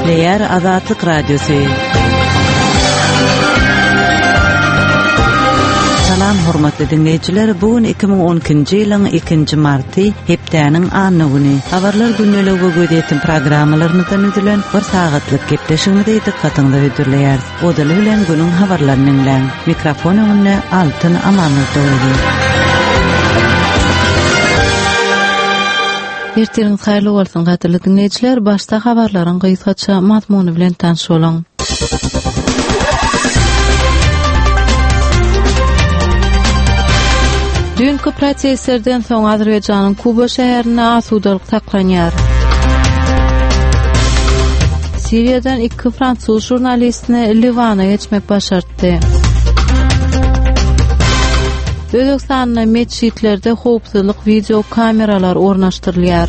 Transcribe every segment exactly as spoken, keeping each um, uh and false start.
Gepleýär Azatlyk Radiosy. Salam hormatly diňleýjiler, bu gün iki müň on ikinji ýylyň ikinji marty, hepdäniň anna güni. Habarlar gündeligi we gözýetim programmalarymyzdan üzülen bir sagatlyk gepleşigimizi dykgatyňyza hödürleýäris. Ozaly bilen günüň habarlaryny diňläň. Mikrofon öňünde Altyn Amanmurdoýewa. Ertiriň haýyrly bolsun gadyrly diňleýjiler, başda habarlaryň gysgaça mazmuny bilen tanyş boluň. Düýnki protestlerden soň Azerbaýjanyň Kuba şäherinde asudalyk saklanýar. Siriýadan iki fransuz žurnalistine Liwana geçmek başartdy. Özbekistanda metjitlerde howpsuzlyk video kameralar ornaşdyrylýar.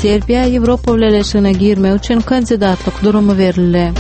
Serbiýa Ýewropa Bileleşigine girmek üçin kandidatlyk durumy berildi.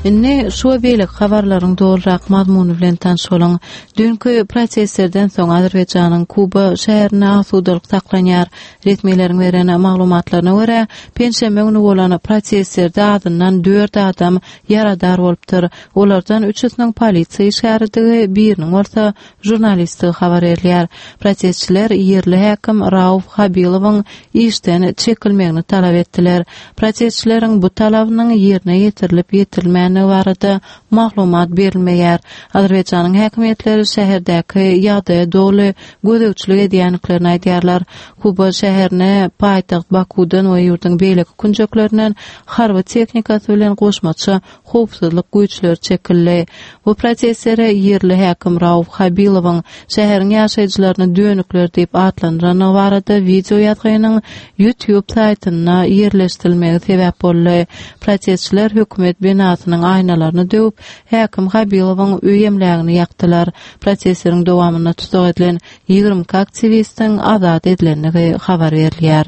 Indi şu we beýleki habarlaryň dolurak mazmuny bilen tanyş boluň. Düýnki protestlerden soň Azerbaýjanyň Kuba şäherinde asudalyk saklanýar. Resmileriň beren maglumatlaryna görä, penşenbe güni bolan protestlerde azyndan dört adam ýaradar bolupdyr. Olardan üçüsiniň polisiýa işgäridigi, biriniň bolsa žurnalistdigi habar berilýär. Protestçiler ýerli häkim Rauf Habilowyň işden çekilmegini talap etdiler. Protestçileriň bu talabynyň ýerine ýetirilip ýetirilmändigi barada maglumat berilmeýär. Azerbaýjanyň häkimiýetleri şäherdäki ýagdaýa doly gözegçilik edýändiklerini aýdýarlar. Kuba şäherine paýtagt Bakudan we ýurduň beýleki künjeklerinden harby tehnikasy bilen goşmaça howpsuzlyk güýçleri çekildi. Bu protestlere ýerli häkim Rauf Habilowyň şäheriň ýaşaýjylaryny dönükler diýip atlandyrany barada video ýazgynyň YouTube saýtynda ýerleşdirilmegi sebäp boldy. Protestçiler hökümet binasynyň aýnalaryny döwüp, häkim Habilowyň öý emlägini ýakdylar. Protestleriň dowamynda tutuk edilen ýigrimi iki aktiwistiň azat edilendigi habar berilýär.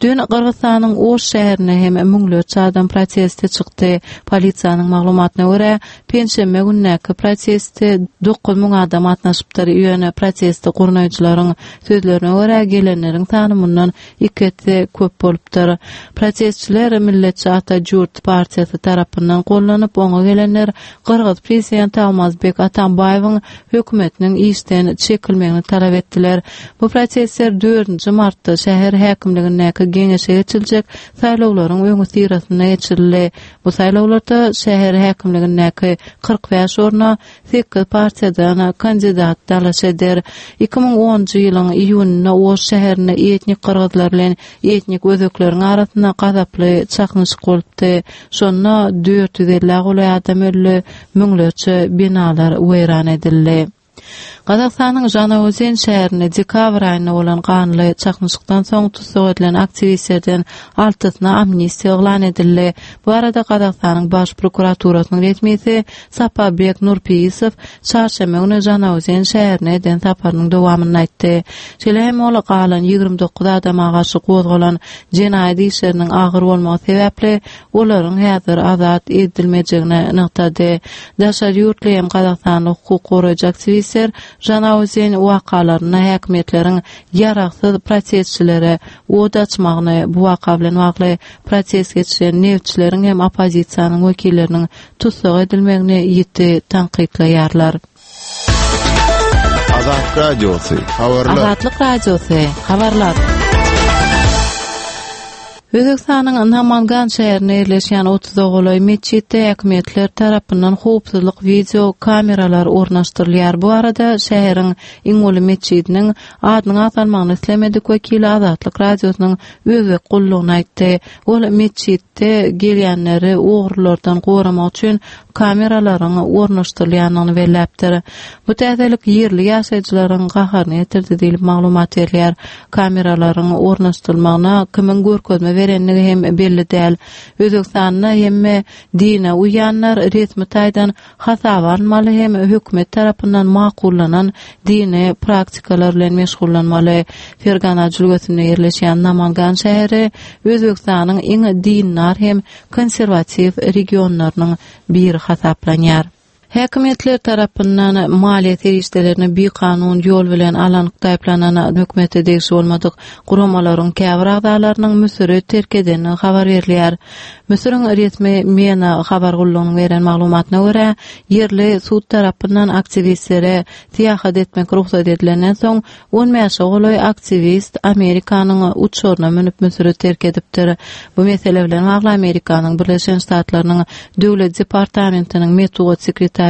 Dün Gyrgyzystanyň Oş şäherine hem müňlerçe adam proteste çykdy. Polisiýanyň maglumatyna görä, penşenbe gündäki proteste dokuz müň adam gatnaşypdyr. Ýöne protesti gurnaýjylaryň sözlerine görä, gelenleriň sany mundan iki esse köp bolupdyr. Protestçiler Milletçi Ata Jurt partiýasy tarapyndan gollanyp, oňa gelenler Gyrgyz prezidenti Almazbek Atambaýewiň hökümetiniň işden çekilmegini talap etdiler. Bu protestler dördünji martda şäher häkimligindäki geňeşe geçiljek saýlawlaryň öňüsyrasynda geçirildi. Bu saýlawlarda şäher häkimligindäki kyrk bäş orna sekiz partiýadan kandidat dalaş eder. Iki müň onunjy ýylyň iýunynda Oş şäherinde etnik gyrgyzlar bilen etnik özbekleriň arasynda gazaply çaknyşyk bolupdy. Şonda dört ýüz elli golaý adam öldi, müňlerçe binalar weýran edildi. Gazagystanyň Žanaozen şäherinde dekabr aýynda bolan ganly çaknyşykdan soň tussag edilen aktiwistlerden altysyna amnistiýa yglan edildi. Bu arada Gazagystanyň baş prokuraturasynyň resmisi Saparbek Nurpiýesow çarşenbe güni Žanaozen şäherine eden saparynyň dowamynda aýtdy. Şeýle hem ol galan ýigrimi dokuz adama garşy gozgalan jenaýat işleriniň agyr bolmagy sebäpli olaryň häzir azat edilmejegini nygtady. Daşary ýurtly hem Gazagystanly hukuk goraýjy aktiwistler Žanaozen wakalarynda häkimiýetleriň ýaragsyz protestçilere od açmagyny, bu waka bilen bagly protest geçiren neftçileriň hem oppozisiýanyň wekilleriniň tussag edilmegini ýiti tankytlaýarlar. Azatlyk Radiosy, habarlar. Azatlyk Radiosy, habarlar. Özbekistanyň Namangan şäherinde ýerleşýän otuza golaý metjitde häkimiýetler tarapyndan howpsuzlyk video kameralar ornaşdyrylýar. Bu arada şäheriň iň uly metjidiniň adynyň agzalmagyny islemedik wekili Azatlyk Radiosynyň özbek gullugyna aýtdy. Ol metjitde gelýänleri ogrulardan goramak üçin kameralaryň ornaşdyrylýandygyny belläpdir. Bu täzelik ýerli ýaşaýjylaryň gaharyny getirdi diýlip maglumat berilýär. Kameralaryň ornaşdyrylmagyna kimiň görkezme berendigi hem belli däl. Özbekistanda hemme dine uýanlar resmi taýdan hasaba alynmaly hem hökümet tarapyndan makullanan dini praktikalar bilen meşgullanmaly. Fergana jülgesinde ýerleşýän Namangan şäheri Özbekistanyň iň dindar hem konserwatiw regionlarynyň biri hasaplanýar. Häkimiýetler tarapyndan maliýe serişdelerini bikanun ýol bilen alan taýplanan hökümete degişli bolmadyk guramalaryň käbir agzalarynyň Müsüri terk edenini habar berilýär. Müsüriň resmi MENA habar gullugynyň beren maglumatyna görä, ýerli sud tarapyndan aktiwistlere syýahat etmek rugsat edilenden soň on bäşe golaý aktiwist Amerikanyň uçaryna münüp Müsüri terk edipdir. Bu mesele bilen bagly Amerikanyň Birleşen Ştatlarynyň Döwlet departamentiniň metbugat sekretary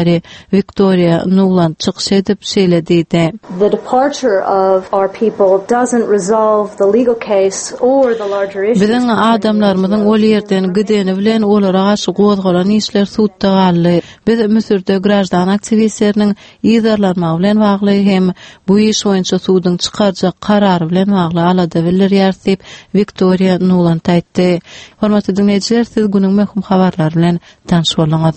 Wiktoriýa Nuland çykyş edip şeýle diýdi. The departure of our people doesn't resolve the legal case or the larger issues. Biziň adamlarymyzyň ol ýerden gideni bilen olara garşy gozgalan işler sudda galdy. Biz Müsürde graždan aktiwistleriniň yzarlanmagy bilen bagly hem bu iş boýunça suduň çykarjak karary bilen bagly alada bildirýär diýip Wiktoriýa Nuland aýtdy. Hormatly dinleýjiler, siz günüň möhüm habarlary bilen tanyş bolduňyz.